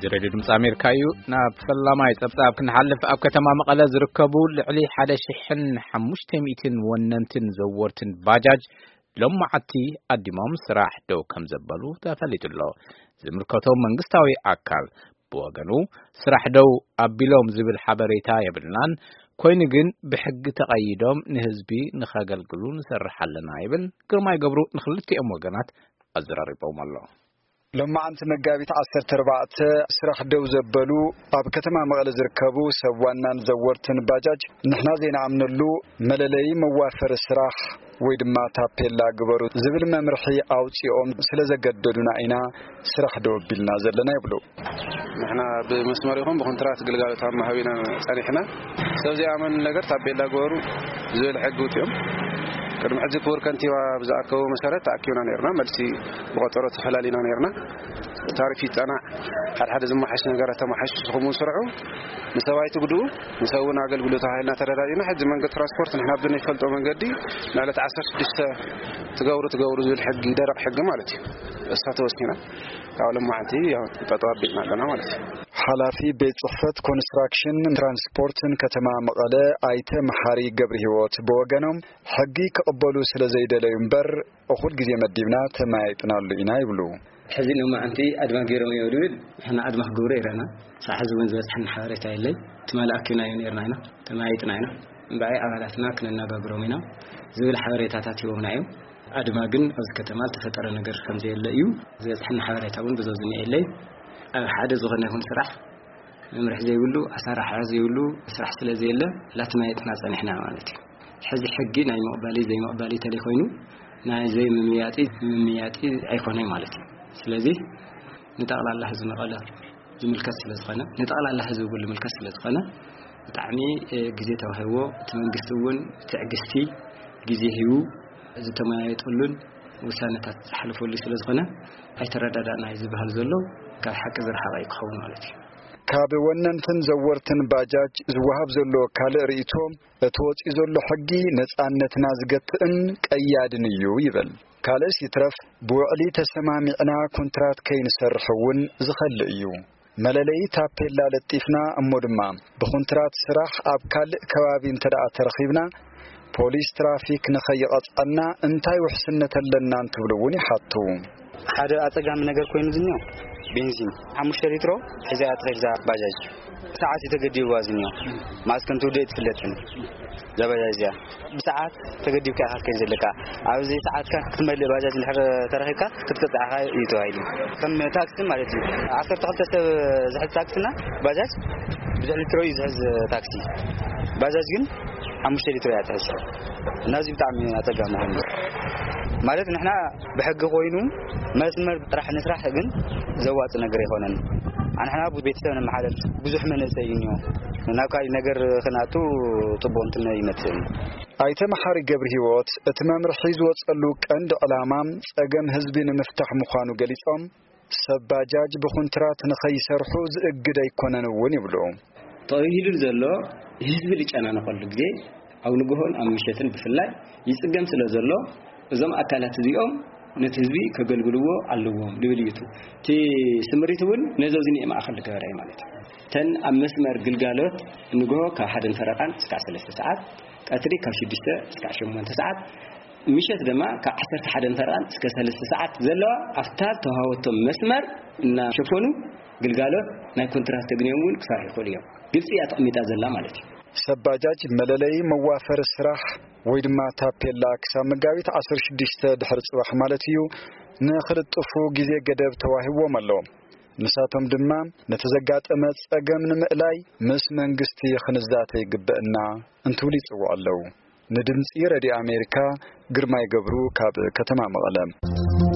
እዚ ሬድዮ ድምፂ ኣሜሪካ እዩ። ናብ ፈላማይ ፀብፃብ ክንሓልፍ፣ ኣብ ከተማ መቐለ ዝርከቡ ልዕሊ ሓደ ሽሕን ሓሙሽተ ሚእትን ወነንትን ዘወርትን ባጃጅ ሎማዓቲ ኣዲሞም ስራሕ ደው ከም ዘበሉ ተፈሊጡ ኣሎ። ዝምልከቶም መንግስታዊ ኣካል ብወገኑ፣ ስራሕ ደው ኣቢሎም ዝብል ሓበሬታ የብልናን፣ ኮይኑ ግን ብሕጊ ተቐይዶም ንህዝቢ ንኸገልግሉ ንሰርሕ ኣለና ይብል። ግርማይ ገብሩ ንክልቲኦም ወገናት ኣዘራሪቦም ኣሎ። ሎማዓንቲ መጋቢት ዓሰርተ ኣርባዕተ ስራሕ ደው ዘበሉ ኣብ ከተማ መቐለ ዝርከቡ ሰብ ዋናን ዘወርትን ባጃጅ፣ ንሕና ዘይንኣምነሉ መለለዪ መዋፈሪ ስራሕ ወይ ድማ ታፔላ ግበሩ ዝብል መምርሒ ኣውፂኦም ስለ ዘገደዱና ኢና ስራሕ ደው ኣቢልና ዘለና ይብሉ። ንሕና ብመስመር ይኹን ብኮንትራት ግልጋሎት ኣብ ምሃብ ኢና ጸኒሕና። ሰብ ዘይኣመን ነገር ታፔላ ግበሩ ዝብል ሕጊ ውፅኦም። ቅድሚ ሕዚ ክቡር ከንቲባ ብዝኣከቦ መሰረት ተኣኪብና ነርና። መልሲ ብቆጸሮ ተፈላሊና ነርና። ታሪፍ ይጸናዕ፣ ሓደ ሓደ ዝመሓሽ ነገራት ተመሓሽ፣ ንስኹም እውን ስርሑ፣ ንሰብ ኣይትጉድኡ፣ ንሰብ እውን ኣገልግሎት ተባሂልና ተረዳዲና። ሕጂ መንገዲ ትራንስፖርት ንሕና ብንፈልጦ መንገዲ ንዕለት ዓሰርተ ሽዱሽተ ትገብሩ ትገብሩ ዝብል ሕጊ፣ ደረቕ ሕጊ ማለት እዩ። እሳ ተወሲና፣ ያው ሎማዓንቲ ያው ጠጠው ኣቢልና ኣለና ማለት እዩ። ሓላፊ ቤት ጽሕፈት ኮንስትራክሽን ትራንስፖርትን ከተማ መቐለ ኣይተ መሓሪ ገብረ ህይወት ብወገኖም፣ ሕጊ ክቕበሉ ስለ ዘይደለዩ እምበር፣ እኹል ግዜ መዲብና ተመያይጥናሉ ኢና ይብሉ። ሕዚ ሎማዓንቲ ኣድማ ገይሮም እዮም ድብል፣ ንሕና ኣድማ ክገብሩ ይረና። ሳዕ ሕዚ እውን ዝበፅሐና ሓበሬታ የለይ። ትማሊ ኣኪብናዮ ነርና ኢና፣ ተመያይጥና ኢና። እምበኣይ ኣባላትና ክነነጋግሮም ኢና ዝብል ሓበሬታታት ሂቦምና እዮም። ኣድማ ግን ኣብዚ ከተማ ዝተፈጠረ ነገር ከም ዘየለ እዩ ዝበፅሐና ሓበሬታ እውን፣ ብዙ ዝኒአ የለይ። ኣብ ሓደ ዝኾነ ይኹን ስራሕ መምርሒ ዘይብሉ፣ ኣሰራርሓ ዘይብሉ ስራሕ ስለ ዘየለ፣ ላተመያየጥና ጸኒሕና ማለት እዩ። ሕዚ ሕጊ ናይ ምቕባሊ ዘይምቕባሊ ተለይ ኮይኑ፣ ናይ ዘይምምያጢ ምምያጢ ኣይኮነይ ማለት እዩ። ስለዚ ንጠቕላላ ህዝቢ መቐለ ዝምልከት ስለ ዝኾነ፣ ንጠቕላላ ህዝቢ እውን ዝምልከት ስለ ዝኾነ፣ ብጣዕሚ፣ እ፣ ግዜ ተዋሂብዎ፣ እቲ መንግስቲ እውን ትዕግስቲ፣ ግዜ ሂቡ ዝተመያየጠሉን ውሳነታት ዝሓለፈሉ ስለ ዝኾነ፣ ኣይተረዳዳእና እዩ ዝበሃል ዘሎ፣ ካብ ሓቂ ዝረሓቐ እዩ ክኸውን ማለት እዩ። ካብ ወነንትን ዘወርትን ባጃጅ ዝወሃብ ዘሎ ካልእ ርእይቶ፣ እቲ ወጺኡ ዘሎ ሕጊ ነጻነትና ዝገትእን ቀያድን እዩ ይብል። ካልእስ ይትረፍ፣ ብውዕሊ ተሰማሚዕና ኮንትራት ከይንሰርሕ እውን ዝኸልእ እዩ። መለለዪ ታፔላ ለጢፍና እሞ ድማ ብኮንትራት ስራሕ ኣብ ካልእ ከባቢ እንተ ደኣ ተረኺብና፣ ፖሊስ ትራፊክ ንኸይቐጽዐና እንታይ ውሕስነት ኣለና እንትብሉ እውን ይሓቱ። ሓደ ኣጸጋሚ ነገር ኮይኑ ዝኒኦ፣ ቤንዚን ሓሙሽተ ሊትሮ ሒዛ እያ ትኸይድ እዛ ባጃጅ። ሰዓት እዩ ተገዲብዋ ዝኒኦ። ማስክ እንትውድእ ኣይትፍለጥን እዛ ባጃጅ እዚኣ። ብሰዓት ተገዲብካ ኢኻ ክትከይድ ዘለካ። ኣብዚ ሰዓትካ ክትመልእ ባጃጅ እንድሕር ተረኺብካ ክትቅጻዕ ኢኻ እዩ ተባሂሉ። ከም ታክሲ ማለት እዩ። ዓሰርተ ክልተ ሰብ ዝሕዝ ታክሲና ባጃጅ ብዙሕ ሊትሮ እዩ ዝሕዝ ታክሲ። ባጃጅ ግን ሓሙሽተ ሊትሮ እያ ትሕዝ። እና እዚ ብጣዕሚ ኣጸጋሚ ኮይኑ። ማለት ንሕና ብሕጊ ኮይኑ መስመር ጥራሕ ንስራሕ ግን ዘዋጽእ ነገር ኣይኮነን። ንሕና ቤተሰብ ነመሓደር ብዙሕ መንእሰይ እዩ እኒኦ። ናብ ካሊእ ነገር ክንኣቱ ጽቡቕ እንትን ኣይመጽእን። ኣይተ መሓሪ ገብረ ህይወት እቲ መምርሒ ዝወጸሉ ቀንዲ ዕላማ ጸገም ህዝቢ ንምፍታሕ ምዃኑ ገሊጾም፣ ሰብ ባጃጅ ብኹንትራት ንኸይሰርሑ ዝእግድ ኣይኮነን እውን ይብሉ። ተባሂሉ ዘሎ ህዝቢ ዝጨናነቐሉ ግዜ ኣብ ንግሆን ኣብ ምሸትን ብፍላይ ይጽገም ስለ ዘሎ፣ እዞም ኣካላት እዚኦም ነቲ ህዝቢ ከገልግልዎ ኣለዎም ዝብል እዩ። እቲ ስምሪት እውን ነዞ ዝኒኤ ማእኸል ዝገበረ እዩ ማለት እዩ። እተን ኣብ መስመር ግልጋሎት ንግሆ ካብ ሓደን ፈረቓን እስካብ ሰለስተ ሰዓት፣ ቀትሪ ካብ ሽዱሽተ እስካብ ሸሞንተ ሰዓት፣ ምሸት ድማ ካብ ዓሰርተ ሓደን ፈረቓን እስከ ሰለስተ ሰዓት ዘለዋ ኣብታ ተዋህበቶም መስመር እናሸፈኑ ግልጋሎት ናይ ኮንትራት ተግንዮም እውን ክሰርሑ ይኽእሉ እዮም። ግልፂ እያ ተቐሚጣ ዘላ ማለት እዩ። ሰብ ባጃጅ መለለዪ መዋፈሪ ስራሕ ወይ ድማ ታፔላ ክሳብ መጋቢት ዓሰርተ ሽዱሽተ ድሕሪ ጽባሕ ማለት እዩ ንኽልጥፉ ግዜ ገደብ ተዋሂብዎም ኣሎ። ንሳቶም ድማ ነቲ ዘጋጠመ ጸገም ንምእላይ ምስ መንግስቲ ክንዛተ ይግበእና እንትብሉ ይጽውዑ ኣለዉ። ንድምጺ ረድዮ ኣሜሪካ ግርማይ ገብሩ ካብ ከተማ መቐለ።